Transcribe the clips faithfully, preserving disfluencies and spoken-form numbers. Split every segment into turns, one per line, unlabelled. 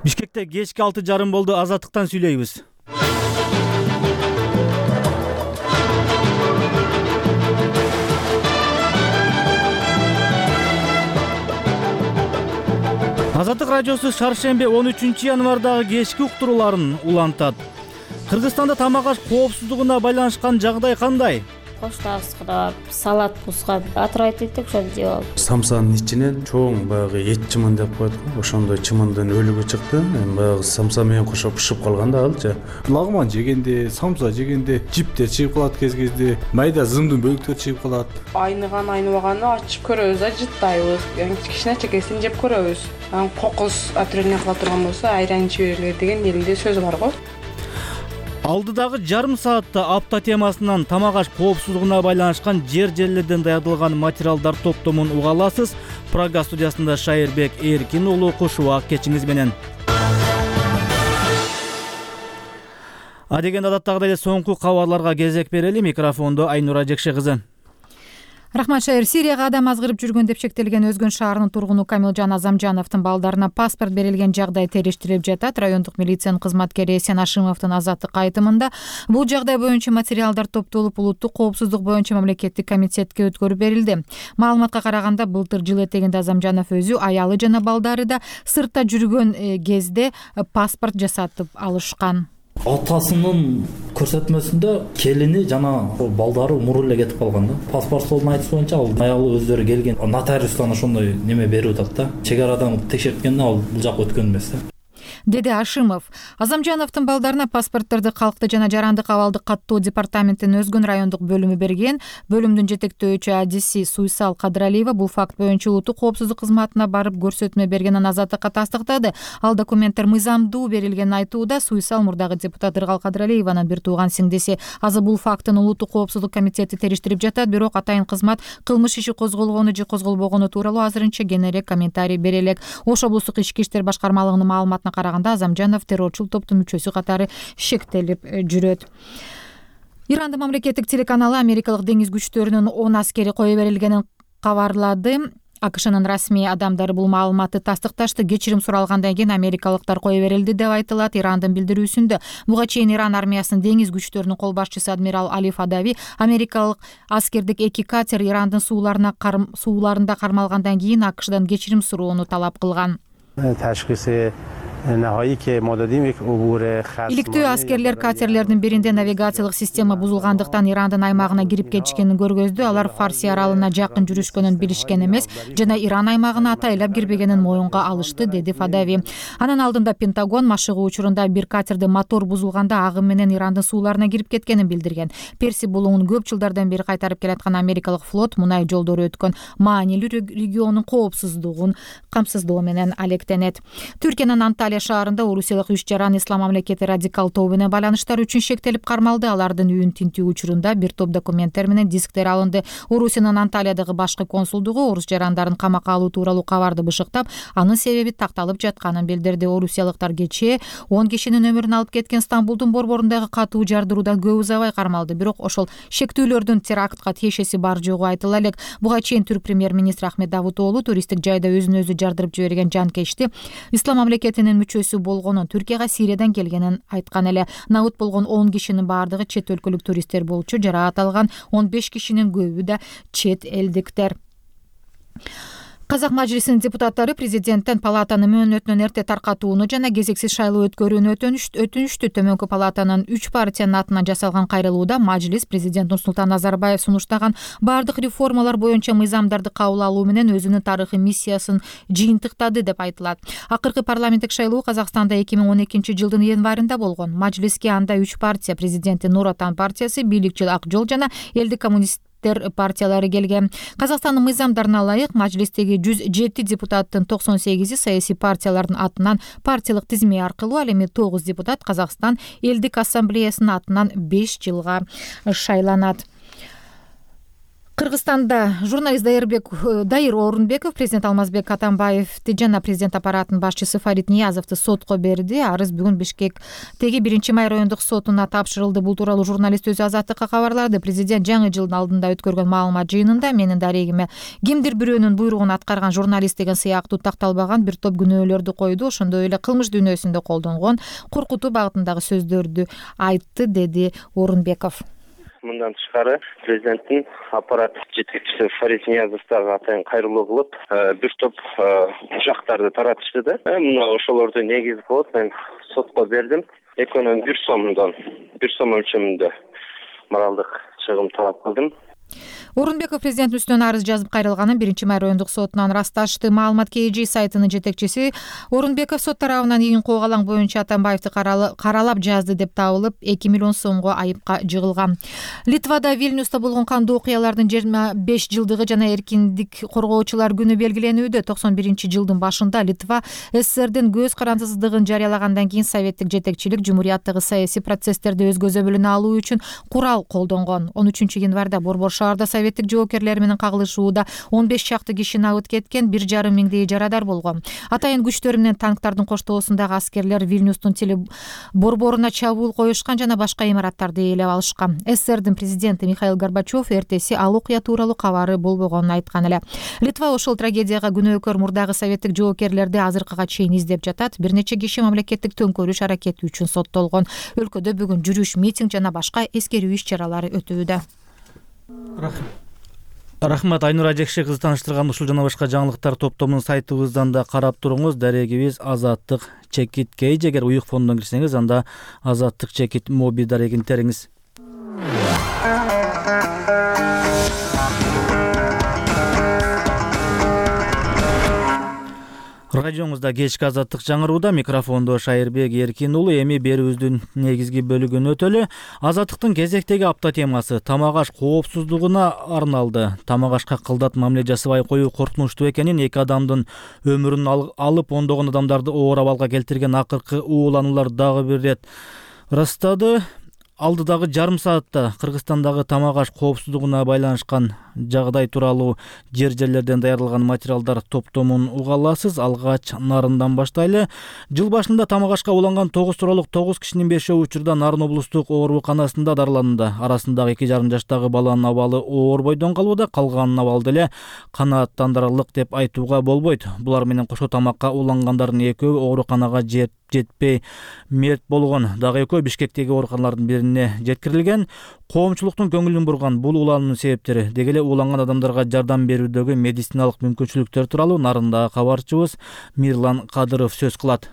Бишкекте кечки алты жарым болду. Азаттыктан сүйлөйбүз. Азаттык радиосу шаршембе он үчүнчү январдагы кечки уктурууларын улантат. Кыргызстанда тамак аш коопсуздугуна байланышкан жагдай кандай?
Коштабыз кырап, салат бузгап, атырайт эттик, ошону жеп алып.
Самсанын ичинен чоң баягы эт чымын деп коет го. Ошондой чымындын өлүгү чыкты. Эми баягы самса менен кошо бышып калган да алчы.
Лагман жегенде, самса жегенде жиптер чыгып калат кез-кезде, майда зымдын бөлүктөр чыгып калат.
Айныган айныбаганы ачып көрөбүз, ажыттайбыз. Кичкичине чекесин жеп көрөбүз. Анан кокус отравление кыла турган болсо айран ичип бергиле деген элде сөз бар го.
Алдыдагы жарым саатта апта темасынан тамак аш коопсуздугуна байланышкан жер жерлерден даярдалган материалдар топтомун уга аласыз. Прага студиясында Шайырбек Эркин уулу кушубак кечиңиз менен. Адегенде адаттагыдай эле соңку кабарларга кезек берели. Микрофондо Айнура Жекше кызы.
Рахмат Шайыр. Сирияга адам азгырып жүргөн деп шектелген Өзгөн шаарынын тургуну Камилжан Азамжановдун балдарына паспорт берилген жагдай териштирилип жатат. Райондук милициянын кызматкери Эсен Ашимовдун азаттык айтымында бул жагдай боюнча материалдар топтолуп улуттук коопсуздук боюнча мамлекеттик комитетке өткөрүп берилди. Маалыматка караганда былтыр жыл этегинде Азамжанов өзү, аялы жана балдары да сыртта жүргөн кезде паспорт жасатып алышкан.
Атасынын көрсөтмөсүндө келини жана балдары муру эле кетип калган да. Паспортунун айтышы боюнча ал аялы өздөрү келген нотариустан ошондой неме берип атат да. Чек арадан текшерткенде ал бул жак өткөн эмес да.
Деди Ашимов. Азамжановдун балдарына паспортторду Калкты жана Жарандык абалдык каттоо департаментинин Өзгөн райондук бөлүмү берген. Бөлүмдүн жетектөөчү адиси Суйсал Кадыралиева бул факт боюнча улуттук коопсуздук кызматына барып көрсөтмө бергенин азаттыкка тастыктады. Ал документтер мыйзамдуу берилгенин айтууда. Суйсал мурдагы депутат Ыргал Кадыралиеванын бир тууган сиңдиси. Азыр бул фактын улуттук коопсуздук комитети териштирип жатат, бирок атайын кызмат кылмыш иши козголгону же козголбогону тууралуу азырынча кененирээк комментарий бере элек. Ош облустук ички иштер башкармалыгынын маалыматына караганда Азамжанов террорчул топтун мүчөсү катары шектелип жүрөт. Ирандын мамлекеттик телеканалы америкалык деңиз күчтөрүнүн он аскери кое берилгенин кабарлады. АКШнын расмий адамдары бул маалыматты тастыкташты. Кечирим суралгандан кийин америкалыктар кое берилди деп айтылат. Ирандын билдирүүсүндө буга чейин Иран армиясынын деңиз күчтөрүнүн кол башчысы адмирал Али Фадави америкалык аскердик эки катер Ирандын сууларына сууларында кармалгандан кийин АКШдан кечирим суроону талап кылган. Иликтөө аскерлер катерлердин биринде навигациялык система бузулгандыктан Ирандын аймагына кирип кетишкенин көргөздү. Алар Фарси аралына жакын жүрүшкөнүн билишкен эмес жана Иран аймагына атайлап кирбегенин моюнга алышты, деди Фадави. Анын алдында Пентагон машыгуу учурунда бир катерде мотор бузулганда агым менен Ирандын сууларына кирип кеткенин билдирген. Перси булуңун көп жылдардан бери кайтарып келаткан америкалык флот мунай жолдору өткөн маанилүү региондун коопсуздугун камсыздоо менен алектенет. Түркиянын Анталия шаарында орусиялык үч жаран Ислам мамлекети радикал тобу менен байланыштар үчүн шектелип кармалды. Алардын үйүн тинтүү учурунда бир топ документтер менен дисктер алынды. Орусиянын Анталиядагы башкы консулдугу орус жарандарын камакка алуу тууралуу кабарды бышыктап, анын себеби такталып жатканын билдирди. Орусиялыктар кечээ он кишинин өмүрүн алып кеткен Стамбулдун борборундагы катуу жардыруудан көп узабай кармалды. Бирок ошол шектүүлөрдүн терактка тиешеси бар жогу айтыла элек. Буга чейин түрк премьер-министри Ахмет Давутоглу туристтик жайда өзүн өзү жардырып жиберген жанкечти Ислам мамлекетинин мүчөсү болгонун, Түркияга Сириядан келгенин айткан эле. Набыт болгон он кишинин баардыгы чет өлкөлүк туристтер болчу. Жараат алган он беш кишинин көбү да чет элдиктер. Казак мажлисинин депутаттары президенттен палатанын мөөнөтүнөн эрте таркатууну жана кезексиз шайлоо өткөрүүнү өтүнүштү. Төмөнкү палатанын үч партиянын атынан жасалган кайрылууда мажлис президент Нурсултан Назарбаев сунуштаган бардык реформалар боюнча мыйзамдарды кабыл алуу менен өзүнүн тарыхый миссиясын жыйынтыктады деп айтылат. Акыркы парламенттик шайлоо Казакстанда эки миң он экинчи жылдын январында болгон. Мажлиске анда үч партия, президенти Нур Отан партиясы, бийликчил Ак жол жана Элдик коммунист партиялары келген. Казакстандын мыйзамдарына ылайык мажлистеги жүз жети депутаттын токсон сегизи саясий партиялардын атынан партиялык тизме аркылуу, ал эми тогуз депутат Казакстан Элдик ассамблеясынын атынан беш жылга шайланат. Кыргызстанда журналист Дайырбек Дайыр Орунбеков президент Алмазбек Атамбаевди жана президент аппаратынын башчысы Фарид Ниязовду сотко берди. Арыз бүгүн Бишкектеги биринчи май райондук сотуна тапшырылды. Бул тууралуу журналист өзү Азаттыкка кабарлады. Президент жаңы жылдын алдында өткөргөн маалымат жыйынында менин дарегиме кимдир бирөөнүн буйругун аткарган журналист деген сыяктуу такталбаган бир топ күнөөлөрдү койду. Ошондой эле кылмыш дүйнөсүндө колдонгон коркутуу багытындагы сөздөрдү айтты, деди Орунбеков.
Мындан тышкары президенттин аппарат жетекчиси Фарид Ниязов дагы атайын кайрылуу кылып, бир топ жактарды таратышты да. Мына ошолорду негиз кылып мен сотко бердим. Экөөнүн бир сомдон, бир сом өлчөмүндө моралдык чыгым талап кылдым.
Орунбеков президент үстүнөн арыз жазып кайрылганын биринчи май райондук сотунан ырасташты. Маалымат кей жи сайтынын жетекчиси Орунбеков сот тарабынан ийин коогалаң боюнча Атамбаевди каралап жазды деп табылып, эки миллион сомго айыпка жыгылган. Литвада Вильнюста болгон кандуу окуялардын жыйырма беш жылдыгы жана эркиндик коргоочулар күнү белгиленүүдө. токсон биринчи жылдын башында Литва СССРдин көз карандысыздыгын жарыялагандан кийин советтик жетекчилик жумурияттагы саясий процесстерди өз көзөмөлүнө алуу үчүн курал колдонгон. он үчүнчү январда Борбор шаарда советтик жоокерлер менен кагылышууда он беш чакты киши набыт кеткен, бир жарым миңдей жарадар болгон. Атайын күчтөр менен танктардын коштоосундагы аскерлер Вильнюстун теле борборуна чабуул коюшкан жана башка имараттарды ээлеп алышкан. СССРдин президенти Михаил Горбачев эртеси ал окуя тууралуу кабары болбогонун айткан эле. Литва ошол трагедияга күнөөкөр мурдагы советтик жоокерлерди азыркыга чейин издеп жатат. Бир нече киши мамлекеттик төңкөрүш аракети үчүн соттолгон. Өлкөдө бүгүн жүрүш, митинг жана башка эскерүү иш-чаралары өтүүдө.
Рахмат Айнур Ажекши кызы тааныштырган ушул жана башка жаңылыктар топтомунун сайтыбыздан да карап туруңуз. Дарегибиз Азаттык чекит кейж. Эгер уюк фондон кирсеңиз, анда Азаттык чекит моби дарегин териңиз. Радиоңузда кечки Азаттык жаңырууда, микрофондо Шайырбек Эркин уулу. Эми берүүбүздүн негизги бөлүгүн өтөлү. Азаттыктын кезектеги апта темасы тамак аш коопсуздугуна арналды. Тамак ашка кылдат мамиле жасабай коюу коркунучтуу экенин, эки адамдын өмүрүн алып ондогон адамдарды оор абалга келтирген акыркы уулануулар дагы бир ирет ырастады. Алдыдагы жарым саатта Кыргызстандагы тамак аш коопсуздугуна байланышкан жагдай тууралуу жер жерлерден даярдалган материалдар топтомун уга аласыз. Алгач Нарындан баштайлы. Жыл башында тамак ашка уланган тогуз тууралык тогуз кишинин бешөө учурда Нарын облустук ооруканасында дарыланды. Арасындагы эки жарым жаштагы баланын абалы оор бойдон калууда. Калганын абалды эле канааттандырарлык деп айтууга болбойт. Булар менен кошо тамакка улангандардын экөө ооруканага жетпей мерт болгон. Дагы экөө Бишкектеги ооруканалардын бирине жеткирилген. Коомчулуктун көңүлүн бурган бул улануунун себептери, деги эле ууланган адамдарга жардам берүүдөгү медициналык мүмкүнчүлүктөр тууралуу Нарындагы кабарчыбыз Мирлан Кадыров сөз кылат.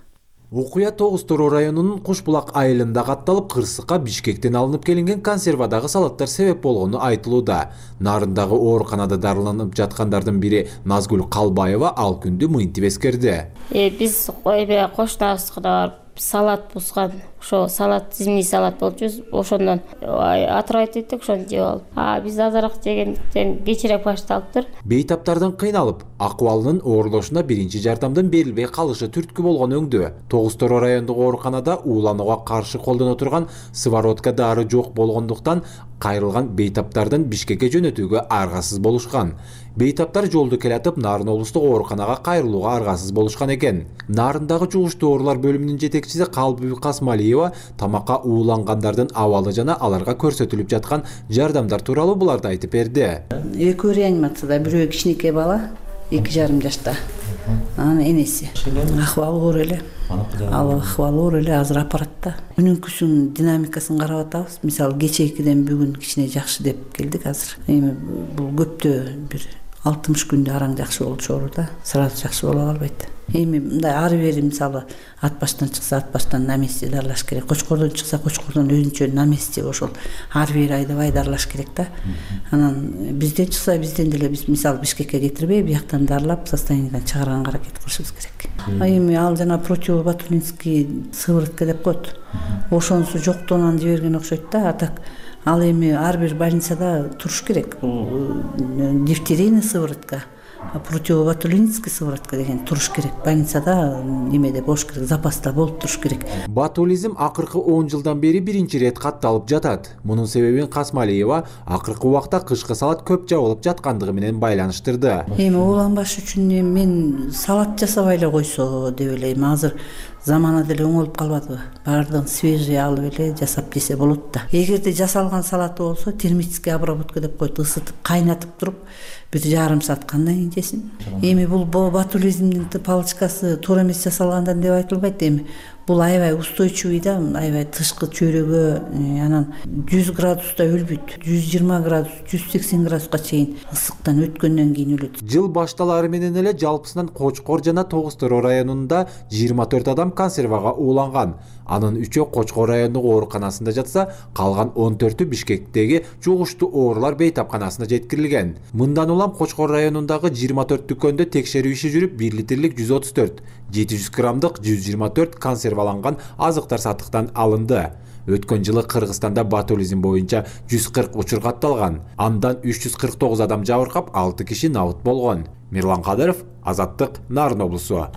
Окуя тогуз Тороо районунун Кушбулак айылында катталып, Кырсыкка Бишкектен алынып келинген консервадагы салаттар себеп болгону айтылууда. Нарындагы ооруканада дарыланып жаткандардын бири Назгүл Калбаева ал күндү мынтип эскерди.
Э биз кошунабызга барып салат бузган, ошо салат зимний салат болчу, ошондон атырайт эттик, ошону жеп алып. А биз азыраак жегенден кечирээк башталыптыр.
Бейтаптардын кыйналып, акыбалынын оорлошуна биринчи жардамдын берилбей калышы түрткү болгон өңдө. тогуз Тороо райондук ооруканада ууланууга каршы колдоно турган сыворотка дары жок болгондуктан кайрылган бейтаптардын Бишкекке жөнөтүүгө аргасыз болушкан. Бейтаптар жолду келатып Нарын облустук ооруканага кайрылууга аргасыз болушкан экен. Нарындагы жугуштуу оорулар бөлүмүнүн жетекчиси Калбиб Касмалиева тамакка уулангандардын абалы жана аларга көрсөтүлүп жаткан жардамдар тууралуу буларды айтып берди.
Экөө реанимацияда, бирөө кичинекей бала, эки жарым жашта. Анын энеси акыбалы оор эле. Ал акыбалы оор эле, азыр аппаратта. Күнүнкүсүн динамикасын карап атабыз. Мисалы кечээкиден бүгүн кичине жакшы деп келдик азыр. Эми бул көптө бир алтымыш күндө араң жакшы болчу ооруда, сразу жакшы боло албайт. Эми мындай ары бери мисалы ат баштан чыкса ат баштан на месте дарылаш керек. Кочкордон чыкса кочкордон өзүнчө на месте ошол ары бери айдабай дарылаш керек да. Анан бизден чыкса бизден деле биз мисалы Бишкекке кетирбей бияктан дарылап состояниядан чыгарганга аракет кылышыбыз керек. А эми ал жана противоботулинский сыворотка деп коет. Ошонусу жоктугунан жиберген окшойт да. А так ал эми ар бир больницада туруш керек. Бул дифтерийный сыворотка. противоботулинский сыворотка деген туруш керек. Больницада немеде болуш керек, запаста болуп туруш керек.
Ботулизм акыркы он жылдан бери биринчи ирет катталып жатат. Мунун себебин Касмалиева акыркы убакта кышкы салат көп жабылып жаткандыгы менен байланыштырды.
Эми ууланбаш үчүн мен салат жасабай эле койсо деп элейм. Азыр замана деле оңолуп калбадыбы? Баардыгын свежий алып эле жасап жесе болот да. Эгерде жасалган салаты болсо термический обработка деп коет, ысытып, кайнатып туруп бир жарым саат кандан кийин жесин. Эми бул ботулизмдин палочкасы туура эмес жасалгандан деп айтылбайт. Эми бул аябай устойчивый да, аябай тышкы чөйрөгө анан жүз градуста өлбөйт. жүз жыйырма градус, жүз сексен градуска чейин ысыктан өткөндөн кийин өлөт.
Жыл башталары менен эле жалпысынан Кочкор жана Тогуз Тороо районунда жыйырма төрт адам консервага ууланган. Анын үчөө Кочкор райондук ооруканасында жатса, калган он төртү Бишкектеги жугуштуу оорулар бейтапканасына жеткирилген. Мындан улам Кочкор районундагы жыйырма төрт дүкөндө текшерүү иши жүрүп, бир литрлик жүз отуз төрт, жети жүз граммдык жүз жыйырма төрт консерваланган азыктар сатыктан алынды. Өткөн жылы Кыргызстанда ботулизм боюнча жүз кырк учур катталган. Андан үч жүз кырк тогуз адам жабыркап, алты киши набыт болгон. Мирлан Кадыров, Азаттык, Нарын облусу.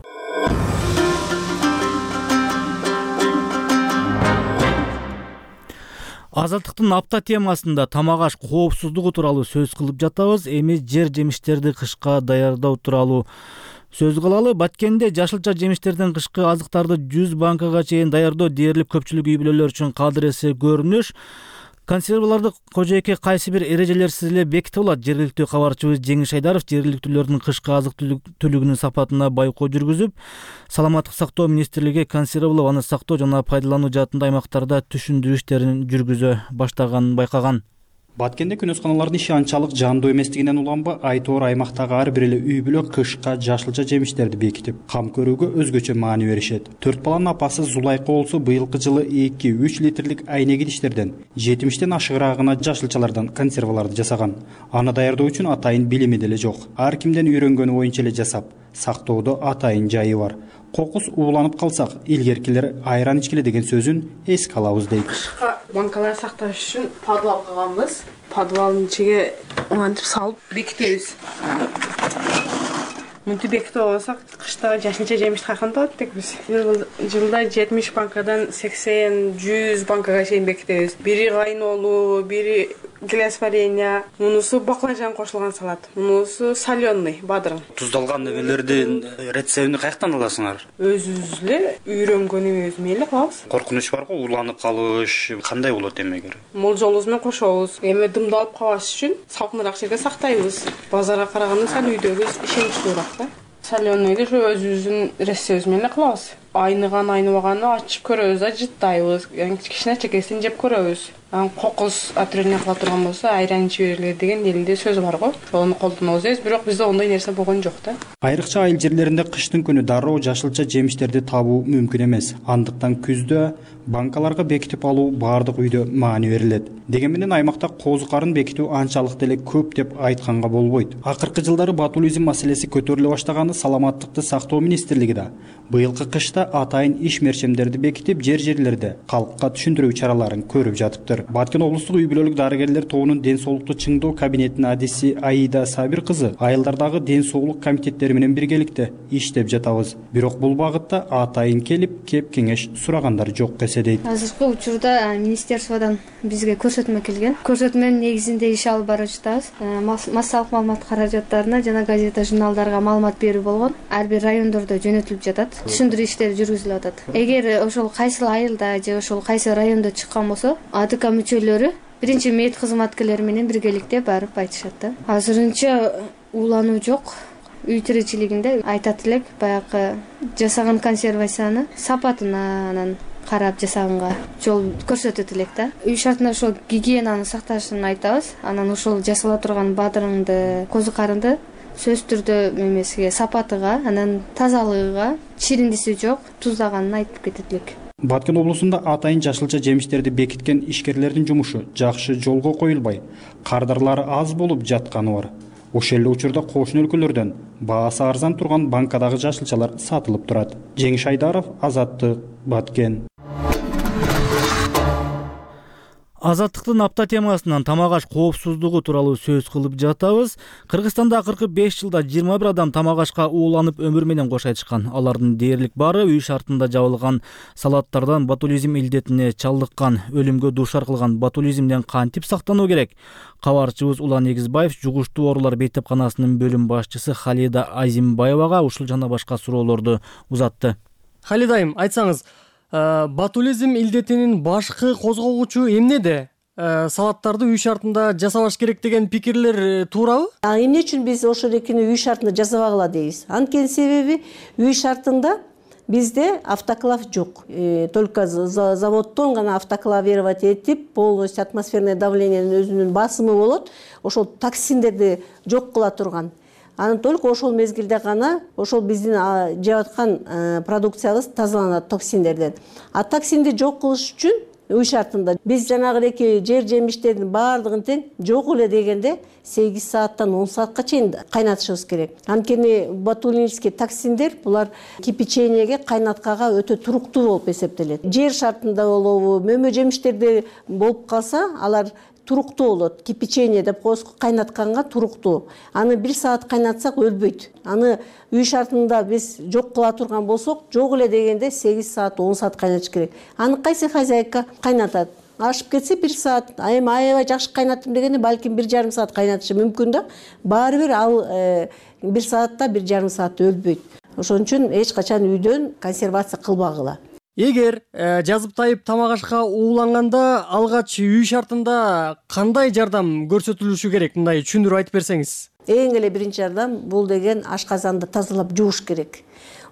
Азаттыктын апта темасында тамак аш коопсуздугу тууралуу сөз кылып жатабыз. Эми жер жемиштерди кышка даярдоо тууралуу сөз кылалы. Баткенде жашылча жемиштерден кышкы азыктарды жүз банкага чейин даярдоо дээрлик көпчүлүк үй бүлөлөр үчүн кадыресе көрүнүш. Консерваларды кожоэке кайсы бир эрежелерсиз эле бекитип алат. Жергиликтүү кабарчыбыз Жеңиш Айдаров жергиликтүүлөрдүн кышкы азык түлүгүнүн сапатына байкоо жүргүзүп, Саламаттык сактоо министрлиги консервалоо, аны сактоо жана пайдалануу жаатында аймактарда түшүндүрүү иштерин жүргүзө баштаганын байкаган.
Баткенде күнөсканалардын иши анчалык жандуу эместигинен уланбы, айтоор аймактагы ар бир эле үй бүлө кышка жашылча жемиштерди бекитип, кам көрүүгө өзгөчө маани беришет. Төрт баланын апасы Зулайка болсо быйылкы жылы эки үч литрлик айнек идиштерден жетимиштен ашыгыраагына жашылчалардан консерваларды жасаган. Аны даярдоо үчүн атайын билими деле жок. Ар кимден үйрөнгөнү боюнча эле жасап, сактоодо атайын жайы бар. Кокус ууланып калсак, илгеркилер айран ичкиле деген сөзүн эске алабыз дейт.
Банкалар сакташ үчүн подвал кылганбыз. Подвалдын ичиге антип салып бекитебиз. Мынтип бекитип алсак, кышта жашылча жемиш кайкантып атат биз. Жылда жетимиш банкадан сексен жүз банкага чейин бекитебиз. Бири кайнолуу, бири гелиосварение, мунусу баклажан кошулган салат, мунусу соленый, бадырын.
Туздалган небелердин рецептин каяктан аласыңар?
Өзүбүз эле үйрөнгөн эмебиз менен эле кылабыз.
Коркунуч барбы, ууланып калыш кандай болот эмегер?
Молжолубуз менен кошобуз. Эми дымдалып калбаш үчүн салкыныраак жерге сактайбыз. Базарга караганда сал үйдөгү ишеничтүүрөөк да. Соленыйды ошо өзүбүздүн рецептибиз менен эле кылабыз. Айныган, айныбаганды ачып көрөбүз да, жыттайбыз. Кичкичине чекесин жеп көрөбүз. Анан кокус отрывание кыла турган болсо, айран ичип бергиле деген элде сөз бар го. Ошону колдонобуз эбиз, бирок бизде ондой нерсе болгон жок да.
Айрыкча айыл жерлеринде кыштын күнү дароо жашылча жемиштерди табуу мүмкүн эмес. Андыктан күздө банкаларга бекитип алуу баардык үйдө маани берилет. Деген менен аймакта козу карын бекитүү анчалык деле көп деп айтканга болбойт. Акыркы жылдары ботулизм маселеси көтөрүлө баштаганы Саламаттыкты сактоо министрлиги да быйылкы кышта атайын иш мерчемдерди бекитип, жер жерлерде калкка түшүндүрүү чараларын көрүп жатыптыр. Баткен облустук үй бүлөлүк дарыгерлер тобунун ден соолукту чыңдоо кабинетинин адиси Аида Сабир кызы айылдардагы ден соолук комитеттери менен биргеликте иштеп жатабыз. Бирок бул багытта атайын келип, кеп кеңеш сурагандар жок эсе дейт.
Азыркы учурда министерстводон бизге көрсөтмө келген. Көрсөтмөнүн негизинде иш алып барып жатабыз. Массалык маалымат каражаттарына жана газета, журналдарга маалымат берүү болгон. Ар бир райондордо жөнөтүлүп жатат. Түшүндүрүү иштери жүргүзүлүп атат. Эгер ошол кайсыл айылда же ошол кайсы райондо чыккан болсо, АДК мүчөлөрү биринчи мед кызматкерлери менен биргеликте барып айтышат да. Азырынча уулануу жок. Үй тиричилигинде айтат элек, баягы жасаган консервацияны сапатына анан карап жасаганга жол көрсөтөт элек да. Үй шартына ошол гигиенаны сакташын айтабыз. Анан ошол жасала турган бадырыңды, козу карынды сөз түрдө эмесиге, сапатыга, анан тазалыгыга, чириндиси жок, туздаганын айтып кетет элек.
Баткен облусунда атайын жашылча жемиштерди бекиткен ишкерлердин жумушу жакшы жолго коюлбай, кардарлары аз болуп жатканы бар. Ошол эле учурда кошуна өлкөлөрдөн баасы арзан турган банкадагы жашылчалар сатылып турат. Жеңиш Айдаров, Азаттык, Баткен.
Азаттыктын апта темасынан тамак аш коопсуздугу тууралуу сөз кылып жатабыз. Кыргызстанда акыркы беш жылда жыйырма бир адам тамак ашка ууланып өмүр менен кош айтышкан. Алардын дээрлик баары үй шартында жабылган салаттардан ботулизм илдетине чалдыккан. Өлүмгө дуушар кылган ботулизмден кантип сактануу керек? Кабарчыбыз Улан Эгизбаев жугуштуу оорулар бейтепканасынын бөлүм башчысы Халида Азимбаевага ушул жана башка суроолорду узатты.
Халида айым, айтсаңыз, ботулизм илдетинин башкы козгогучу эмнеде? Салаттарды үй шартында жасабаш керек деген пикирлер туурабы?
Эмне үчүн биз ошол экини үй шартында жасабагыла дейбиз? Анткени себеби үй шартында бизде автоклав жок. Только заводдон гана автоклавировать этип, полностью атмосферное давлениенин өзүнүн басымы болот. Ошол токсиндерди жок кыла турган. Аны только ошол мезгилде гана ошол биздин жеп аткан продукциябыз тазаланат токсиндерден. А токсинди жок кылыш үчүн үй шартында биз жанагыдеки жер жемиштердин баардыгын тең жок эле дегенде сегиз сааттан он саатка чейин кайнатышыбыз керек. Анткени ботулинский токсиндер булар кипячениеге, кайнаткага өтө туруктуу болуп эсептелет. Жер шартында болобу, мөмө жемиштерде болуп калса, алар туруктуу болот. Кипячение деп коебуз, кайнатканга туруктуу. Аны бир саат кайнатсак өлбөйт. Аны үй шартында биз жок кыла турган болсок, жок эле дегенде сегиз саат, он саат кайнатыш керек. Аны кайсы хозяйка кайнатат? Ашып кетсе бир саат, айым аябай жакшы кайнаттым дегенде балким бир жарым саат кайнатышы мүмкүн да. Баары бир ал бир саатта бир жарым саат өлбөйт. Ошон үчүн эч качан үйдөн консервация кылбагыла.
Эгер жазып тайып тамак ашка ууланганда алгач үй шартында кандай жардам көрсөтүлүшү керек? Мындай түшүндүрүп айтып берсеңиз.
Эң эле биринчи жардам бул деген ашказанды тазалап жууш керек.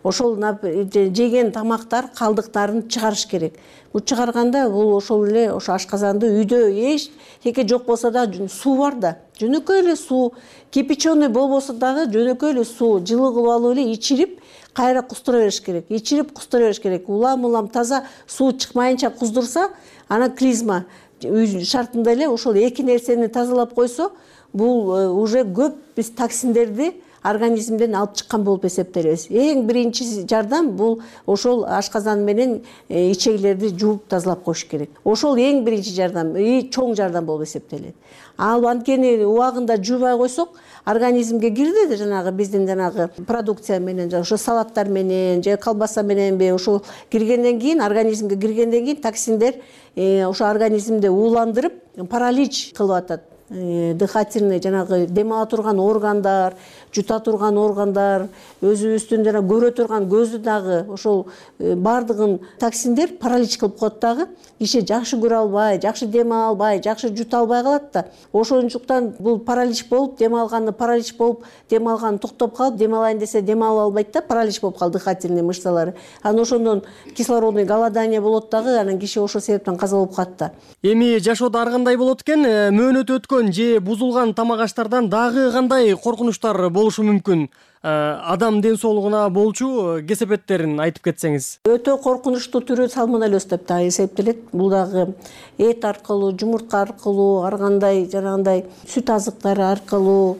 Ошол жеген тамактар калдыктарын чыгарыш керек. Бул чыгарганда бул ошол эле ошо ашказанды үйдө эч теке жок болсо да суу бар да. Жөнөкөй эле суу, кипяченый болбосо дагы жөнөкөй эле суу жылы кылып алып эле ичирип кайра куздура бериш керек. Ичирип куздура бериш керек. Улам-улам таза суу чыкмайынча куздурса, ана клизма үй шартында эле ошол эки нерсени тазалап койсо, бул уже көп биз токсиндерди организмден алып чыккан болуп эсептелебиз. Эң биринчи жардам бул ошол ашказан менен ичегилерди жууп тазалап коюш керек. Ошол эң биринчи жардам, и чоң жардам болуп эсептелет. Ал анткени убагында жуубай койсок, организмге кирди жанагы биздин жанагы продукция менен, ошо салаттар менен, же колбаса мененби, ошол киргенден кийин, организмге киргенден кийин токсиндер ошо организмди ууландырып, паралич кылып атат. Дыхательный жанагы дем ала турган органдар, жута турган органдар, өзүбүздүн жана көрө турган көздү дагы ошол баардыгын токсиндер паралич кылып коет дагы. Киши жакшы көрө албай, жакшы дем ала албай, жакшы жута албай калат да. Ошончуктан бул паралич болуп, дем алганы паралич болуп, дем алганы токтоп калып, дем алайын десе дем ала албайт да, паралич болуп калды дыхательный мышцалары. Анан ошондон кислородный голодание болот дагы, анан киши ошол себептен каза болуп калат да.
Эми жашоодо ар кандай болот экен? Мөөнөтү өткөн же бузулган тамак аштардан дагы кандай коркунучтар болушу мүмкүн? Адам ден соолугуна болчу кесепеттерин айтып кетсеңиз.
Өтө коркунучтуу түрү сальмонеллез деп да эсептелет. Бул дагы эт аркылуу, жумуртка аркылуу, ар кандай жанагындай сүт азыктары аркылуу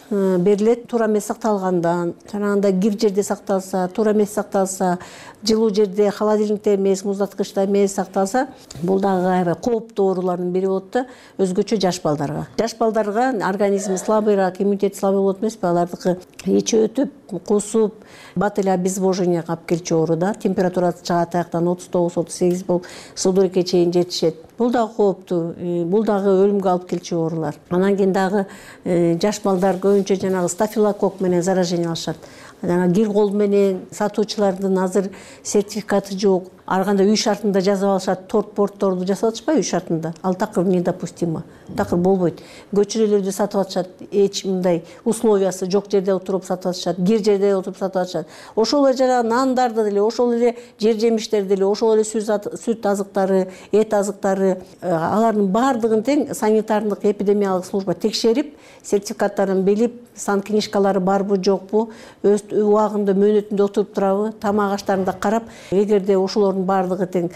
берилет. Туура эмес сакталгандан, жанагындай кир жерде сакталса, туура эмес сакталса, жылуу жерде, холодильникте эмес, муздаткычта эмес сакталса, бул дагы кооптуу оорулардын бири болот да, өзгөчө жаш балдарга. Жаш балдарга организми слабыйраак, иммунитет слабый болот эмеспи, алардыкы ичи өтүп, кусуп, бат эле обезвоженияга алып келчү оору да, температурасы чыгат аяктан отуз тогуз отуз сегиз болуп, судорогага чейин жетишет. Бул дагы кооптуу, бул дагы өлүмгө алып келчү оорулар. Анан кийин дагы жаш балдар көбүнчө жанагы стафилококк менен заражение алышат. Жана кир кол менен сатуучулардын азыр сертификаты жок. Ар кандай үй шартында жазып алышат, торт портторду жасап атышпайбы үй шартында? Ал такыр недопустимо. Такыр болбойт. Көчөрөлөрдү сатып атышат, эч мындай условиясы жок жерде отуруп сатып атышат, кир жерде отуруп сатып атышат. Ошол эле жана нандарды деле, ошол эле жер жемиштерди деле, ошол эле сүт азыктары, эт азыктары, алардын баардыгын тең санитардык эпидемиялык служба текшерип, сертификаттарын билип, сан книжкалары барбы жокпу, өз убагында мөөнөтүндө отуруп турабы, тамак аштарын да карап, эгерде ошолордун баардыгы тең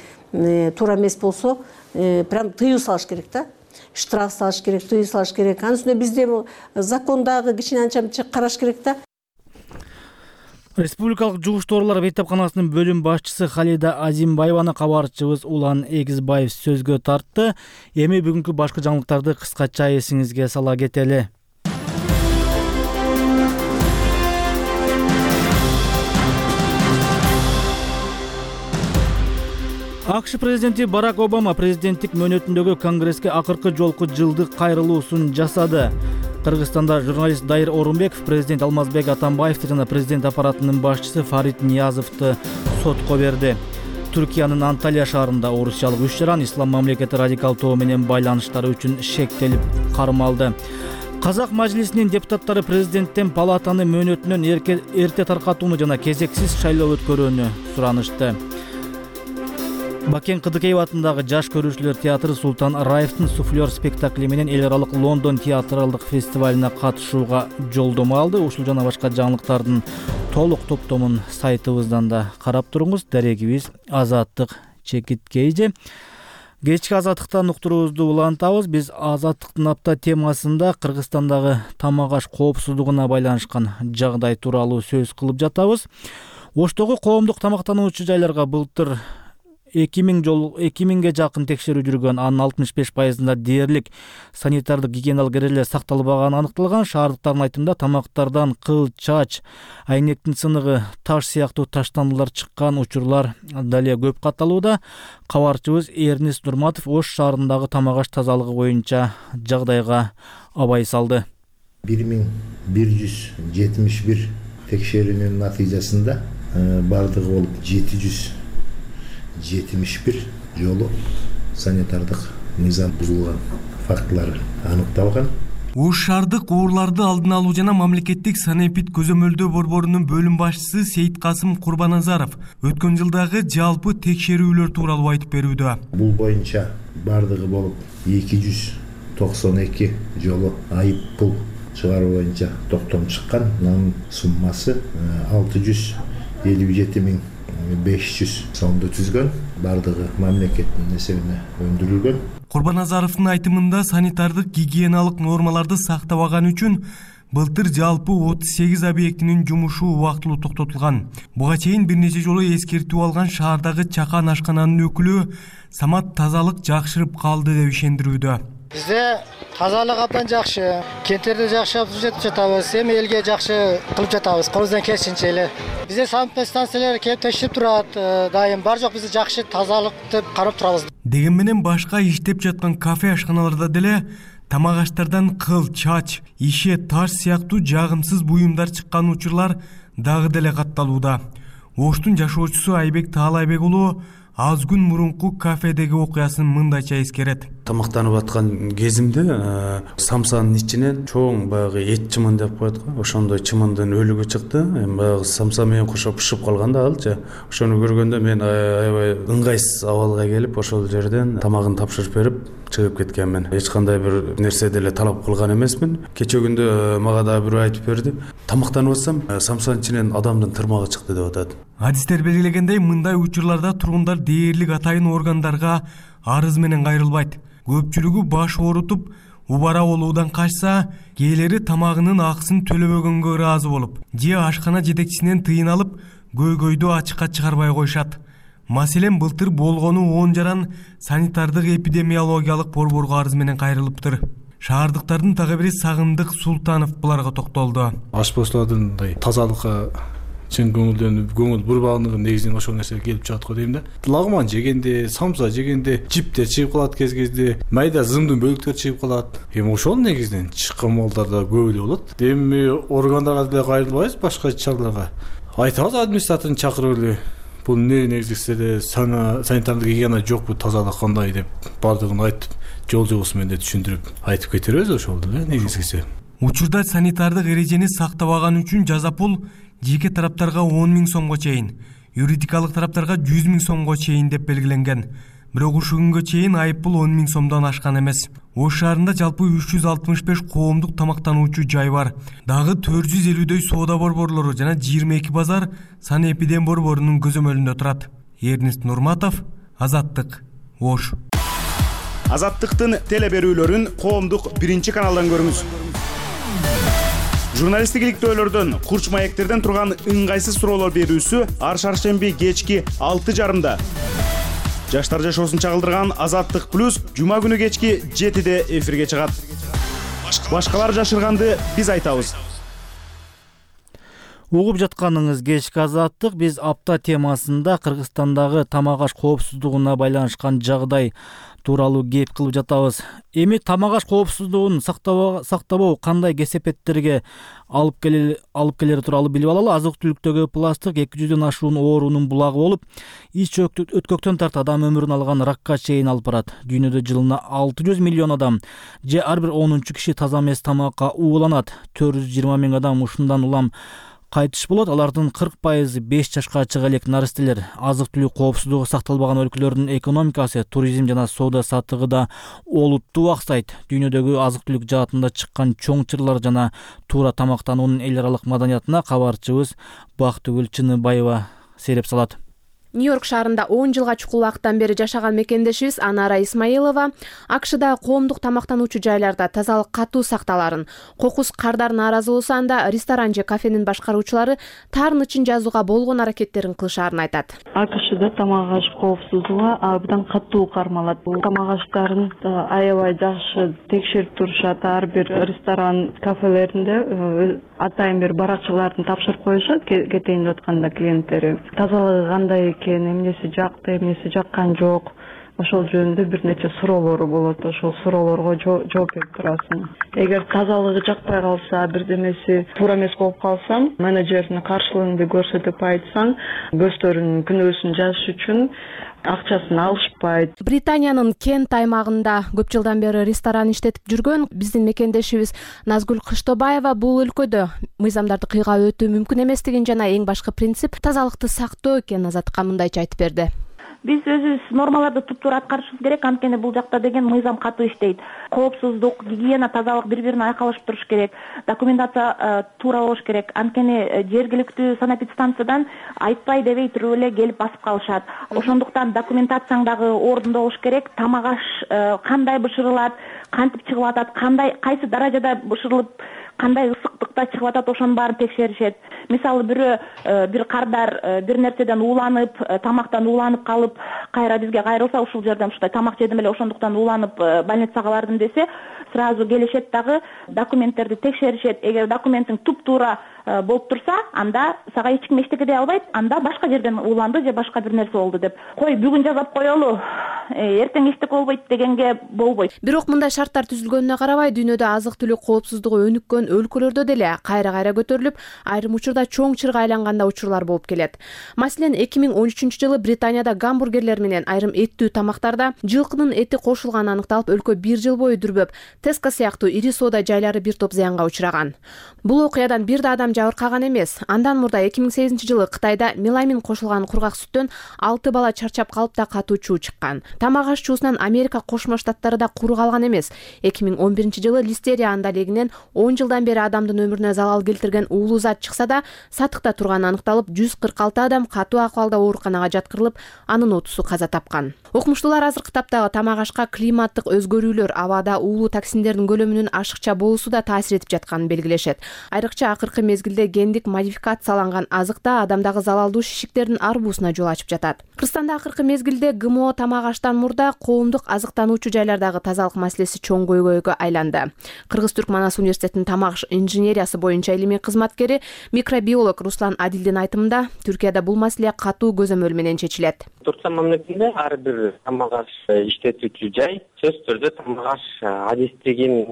туура эмес болсо, прям тыюу салыш керек да. Штраф салыш керек, тыюу салыш керек. Анын үстүнө бизде закондагы кичине анча-мынча караш керек да.
Республикалык жугуш тоорулар бейтапканасынын бөлүм башчысы Халида Азимбаеваны кабарчыбыз Улан Эгизбаев сөзгө тартты. Эми бүгүнкү башкы жаңылыктарды кыскача эсиңизге сала кетели. АКШ президенти Барак Обама президенттик мөөнөтүндөгү Конгресске акыркы жолку жылдык кайрылуусун жасады. Кыргызстанда журналист Дайыр Орунбеков президент Алмазбек Атамбаевди жана президент аппаратынын башчысы Фарид Ниязовду сотко берди. Түркиянын Анталия шаарында орусиялык үч жаран ислам мамлекети радикал тобу менен байланыштары үчүн шектелип кармалды. Казак мажлисинин депутаттары президенттен палатаны мөөнөтүнөн эрте таркатууну жана кезексиз шайлоо өткөрүүнү суранышты. Бакен Кыдыкеев атындагы жаш көрүүчүлөр театры Султан Раевдин суфлер спектакли менен эл аралык Лондон театралдык фестивалына катышууга жолдомо алды. Ушул жана башка жаңылыктардын толук топтомун сайтыбыздан да карап туруңуз. Дарегибиз Азаттык Чекиткейже. Кечки Азаттыктан уктуруубузду улантабыз. Биз Азаттыктын апта темасында Кыргызстандагы тамак аш коопсуздугуна байланышкан жагдай тууралуу сөз кылып жатабыз. Оштогу коомдук тамактануучу жайларга былтыр эки миңге жакын текшерүү жүргөн, анын алтымыш беш пайызында дээрлик санитардык гигиеналык эрежелер сакталбаганы аныкталган. Шаардыктардын айтымында тамактардан кыл, чач, айнектин сыныгы, таш сыяктуу таштандылар чыккан учурлар дале көп катталууда. Кабарчыбыз Эрнис Нурматов Ош шаарындагы тамак аш тазалыгы боюнча жагдайга абай салды.
бир миң бир жүз жетимиш бир текшерүүнүн натыйжасында бардыгы болуп жети жүз жетимиш бир жолу санитардык мыйзам бузулган фактылар аныкталган.
Ош шаардык оорларды алдын алуу жана мамлекеттик санэпид көзөмөлдөө борборунун бөлүм башчысы Сейиткасым Курбаназаров өткөн жылдагы жалпы текшерүүлөр тууралуу айтып берүүдө.
Бул боюнча бардыгы болуп эки жүз токсон эки жолу айып пул чыгаруу боюнча токтом чыккан. Анын суммасы алты жүз элүү жети миң беш жүз сомду түзгөн. Бардыгы мамлекеттин эсебине өндүрүлгөн.
Курбаназаровдун айтымында санитардык гигиеналык нормаларды сактабаган үчүн былтыр жалпы отуз сегиз объектинин жумушу убактылуу токтотулган. Буга чейин бир нече жолу эскертүү алган шаардагы чакан ашкананын өкүлү Самат тазалык жакшырып калды деп ишендирүүдө.
Бизде тазалык абдан жакшы, кенттерде жакшы өтүп жатабыз, эми элге жакшы кылып жатабыз, колубуздан келишинче эле. Бизде санитар станциялар келип текшерип турат, дайым бар жок бизде жакшы тазалыкты карап турабыз.
Деген менен башка иштеп жаткан кафе ашканаларда деле тамак аштардан кыл, чач, иши, таш сыяктуу жагымсыз буюмдар чыккан учурлар дагы деле катталууда. Оштун жашоочусу Айбек Таалайбек уулу аз күн мурунку кафедеги окуясын мындайча эскерет.
Тамактанып аткан кезимде самсанын ичинен чоң баягы эт чымын деп коет го. Ошондой чымындын өлүгү чыкты. Эми баягы самса менен кошо бышып калган да алчы. Ошону көргөндө мен аябай ыңгайсыз абалга келип, ошол жерден тамагын тапшырып берип чыгып кеткенмин. Эч кандай бир нерсе деле талап кылган эмесмин. Кече күндө мага да бирөө айтып берди. Тамактанып атсам, самсанын ичинен адамдын тырмагы чыкты деп атат.
Адистер белгилегендей, мындай учурларда тургундар дээрлик атайын органдарга арыз менен кайрылбайт. Көпчүлүгү баш оорутуп, убара болуудан качса, кээлери тамагынын акысын төлөбөгөнгө ыраазы болуп, же ашкана жетекчисинен тыйын алып, көйгөйдү ачыкка чыгарбай коюшат. Маселен, былтыр болгону он жаран санитардык эпидемиологиялык борборго арыз менен кайрылыптыр. Шаардыктардын дагы бири Сагындык Султанов буларга токтолду.
Ашпоздордун тазалыкка чын көңүлдөнүп, көңүл бурбагындыгы негизинен ошол нерсе келип чыгат го дейм да. Лагман жегенде, самса жегенде жиптер чыгып калат кез-кезде, майда зымдын бөлүктөр чыгып калат. Эми ошол негизинен чыккан малдарда көп эле болот. Эми органдарга деле кайрылбайбыз, башка чараларга. Айтабыз администраторун чакырып эле. Бул эмне негизде санитардык гигиена жокпу, тазалык кандай деп бардыгын айтып, жол жобосу менен түшүндүрүп айтып кетербиз ошол эле негизгиси.
Учурда санитардык эрежени сактабаган үчүн жаза пул жеке тараптарга он миң сомго чейин, юридикалык тараптарга жүз миң сомго чейин деп белгиленген. Бирок ушул күнгө чейин айып пул он миң сомдон ашкан эмес. Ош шаарында жалпы үч жүз алтымыш беш коомдук тамактануучу жай бар. Дагы төрт жүз элүүдөй соода борборлору жана жыйырма эки базар санэпидем борборунун көзөмөлүндө турат. Эрнис Нурматов, Азаттык, Ош.
Азаттыктын теле берүүлөрүн коомдук биринчи каналдан көрүңүз.
Журналисттик иликтөөлөрдөн, курч маектерден турган ыңгайсыз суроолор берүүсү ар шаршемби кечки алты жарымда. Жаштар жашоосун чагылдырган Азаттык плюс жума күнү кечки жетиде эфирге чыгат. Башкалар жашырганды биз айтабыз.
Угуп жатканыңыз кечки Азаттык. Биз апта темасында Кыргызстандагы тамак аш коопсуздугуна байланышкан жагдай тууралуу кеп кылып жатабыз. Эми тамак аш коопсуздугун сактабоо кандай кесепеттерге алып келери тууралуу билип алалы. Азык-түлүктөгү пластик эки жүздөн ашуун оорунун булагы болуп, ич өткөктөн тарт адам өмүрүн алган ракка чейин алып барат. Дүйнөдө жылына алты жүз миллион адам же ар бир онунчу киши таза эмес тамакка ууланат. төрт жүз жыйырма миң адам ушундан улам кайтыш болот. Алардын кырк пайызы беш жашка чыга элек наристелер. Азык-түлүк коопсуздугу сакталбаган өлкөлөрдүн экономикасы, туризм жана соода саттыгы олуттуу аксайт. Дүйнөдөгү азык-түлүк жаатында чыккан чоң чырлар жана туура тамактануунун эл аралык маданиятына кабарчыбыз Бактыгүл Чыныбаева сереп салат.
Нью-Йорк шаарында он жылга чукул убакыттан бери жашаган мекендешибиз Анара Исмаилова АКШда коомдук тамактануучу жайларда тазалык катуу сакталарын, кокус кардар нааразы болсо анда ресторан же кафенин башкаруучулары тарын ычын жазууга болгон аракеттерин кылышаарын айтат.
АКШда тамак аш коопсуздугу абдан катуу кармалат. Тамак аштарын аябай жакшы текшерип турушат. Ар бир ресторан, кафелеринде атайын бир баракчыларын тапшырып коюшат кетейин деп атканда клиенттери. Тазалыгы кандай, эмнеси жакты, эмнеси жаккан жок, ошол жөнүндө бир нече суроолору болот. Ошол суроолорго жооп берип турасың. Эгер тазалыгы жакпай калса, бирдемеси туура эмес болуп калса, менеджерине каршылыгыңды көрсөтүп айтсаң, көздөрүнүн күнөөсүн жазыш үчүн акчасын алышпайт.
Британиянын Кент аймагында көп жылдан бери ресторан иштетип жүргөн биздин мекендешибиз Назгүл Кыштобаева бул өлкөдө мыйзамдарды кыйга өтүү мүмкүн эместигин жана эң башкы принцип тазалыкты сактоо экенин Азаттыкка мындайча айтып берди.
Биз өзүбүз нормаларды туптуура аткарышыбыз керек, анткени бул жакта деген мыйзам катуу иштейт. Коопсуздук, гигиена, тазалык бири-бирине айкалышып туруш керек. Документация туура болуш керек. Анткени жергиликтүү санэпидстанциядан айтпай дебей туруп эле келип басып калышат. Ошондуктан документацияң дагы ордунда болуш керек. Тамак аш кандай бышырылат, кантип чыгып атат, кандай кайсы даражада бышырылып, кандай ысыктыкта чыгып атат, ошонун баарын текшеришет. Мисалы бирөө бир кардар бир нерседен ууланып, тамактан ууланып калып, кайра бизге кайрылса, ушул жерден ушундай тамак жедим эле, ошондуктан ууланып больницага бардым десе, сразу келишет дагы документтерди текшеришет. Эгер документиң туп-туура болуп турса, анда сага эч ким эчтеке дей албайт. Анда башка жерден ууланды же башка бир нерсе болду деп. Кой бүгүн жазап коелу, эртең эчтеке болбойт дегенге болбойт.
Бирок мындай шарттар түзүлгөнүнө карабай, дүйнөдө азык-түлүк коопсуздугу өнүккөн өлкөлөрдө деле кайра-кайра көтөрүлүп, айрым учурда чоң чырга айланган учурлар болуп келет. Маселен, эки миң он үчүнчү жылы Британияда гамбургерлер менен айрым эттүү тамактарда жылкынын эти кошулганы аныкталып, өлкө бир жыл бою дүрбөп, Теска сыяктуу ири соода жайлары бир топ зыянга учураган. Бул окуядан бир да адам жабыркаган эмес. Андан мурда эки миң сегизинчи жылы Кытайда меламин кошулган кургак сүттөн алты бала чарчап калып да катуу чуу чыккан. Тамак аш чуусунан Америка Кошмо Штаттары да куру калган эмес. эки миң он биринчи жылы листерия андалегинен он жылдан бери адамдын өмүрүнө залал келтирген уулуу зат чыкса да, сатыкта турганы аныкталып, жүз кырк алты адам катуу акыбалда ооруканага жаткырылып, анын отузу каза тапкан. Окумуштуулар азыркы таптагы тамак ашка климаттык өзгөрүүлөр, абада уулуу токсиндердин көлөмүнүн ашыкча болуусу да таасир этип жатканын белгилешет. Айрыкча акыркы мезгилде гендик модификацияланган азыкта адамдагы залалдуу шишиктердин арбуусуна жол ачып жатат. Кыргызстанда акыркы мезгилде ГМО тамак аштан мурда коомдук азыктануучу жайлардагы тазалык маселеси чоң көйгөйгө айланды. Кыргыз-Түрк Манас университетинин тамак инженериясы боюнча илимий кызматкери, микробиолог Руслан Адилдин айтымында, Түркияда бул маселе катуу көзөмөл менен чечилет.
Туркия мамлекетинде ар бир тамак аш иштетүүчү жай сөзсүз түрдө тамак аш адистигин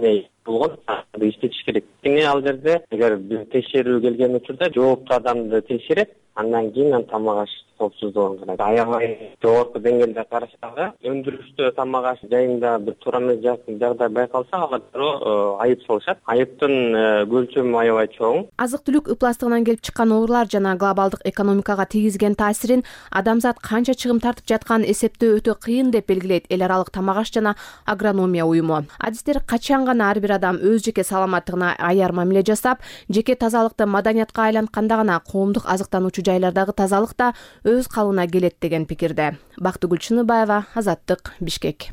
болгон иштетиш керек. Эми ал жерде эгер бир текшерүү келген учурда жооптуу адамды текшерет, андан кийин тамак аш коопсуздугун карайт. Аябай жогорку деңгээлде карашсагы, өндүрүштө тамак аш жайында бир туура эмес жагдай байкалса, алар дароо айып салышат. Айыптын көлчөмү аябай чоң.
Азык-түлүк ыпластыгынан келип чыккан оорулар жана глобалдык экономикага тийгизген таасирин адамзат канча чыгым тартып жатканын эсептөө өтө кыйын деп белгилейт эл аралык тамак аш жана агрономия уюму. Адистер качан гана ар бир адам өз жеке саламаттыгына аяр мамиле жасап, жеке тазалыкты маданиятка айлантканда гана коомдук азыктануучу жайлардагы тазалык да өз калыбына келет деген пикирде. Бактыгүл Чыныбаева, Азаттык, Бишкек.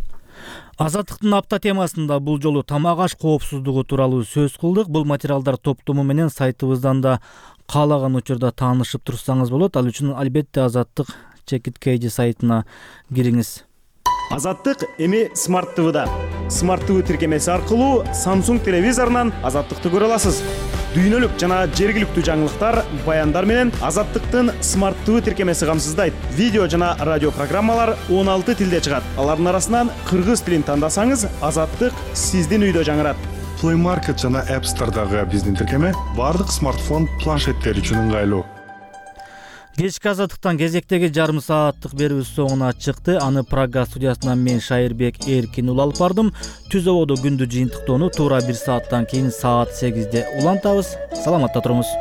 Азаттыктын апта темасында бул жолу тамак аш коопсуздугу тууралуу сөз кылдык. Бул материалдар топтому менен сайтыбыздан да каалаган учурда таанышып турсаңыз болот. Ал үчүн албетте Азаттык Чекит Кейджи сайтына кириңиз.
Азаттык эми Смарт ТВда. Смарт ТВ тиркемеси аркылуу Samsung телевизорунан Азаттыкты көрө аласыз. Дүйнөлүк жана жергиликтүү жаңылыктар, баяндар менен Азаттыктын Смарт ТВ тиркемеси камсыздайт. Видео жана радио программалар он алты тилде чыгат. Алардын арасынан кыргыз тилин тандасаңыз, Азаттык сиздин үйдө жаңырат.
Play Market жана App Store'дагы биздин тиркеме бардык смартфон, планшеттер үчүн ыңгайлуу.
Кечки Азаттыктан кезектеги жарым сааттык берүүбүз соңуна чыкты. Аны Прага студиясынан мен Шайырбек Эркин ул алып бардым. Түз ободо күндү жыйынтыктоону туура бир сааттан кийин саат сегизде улантабыз. Саламатта туруңуз.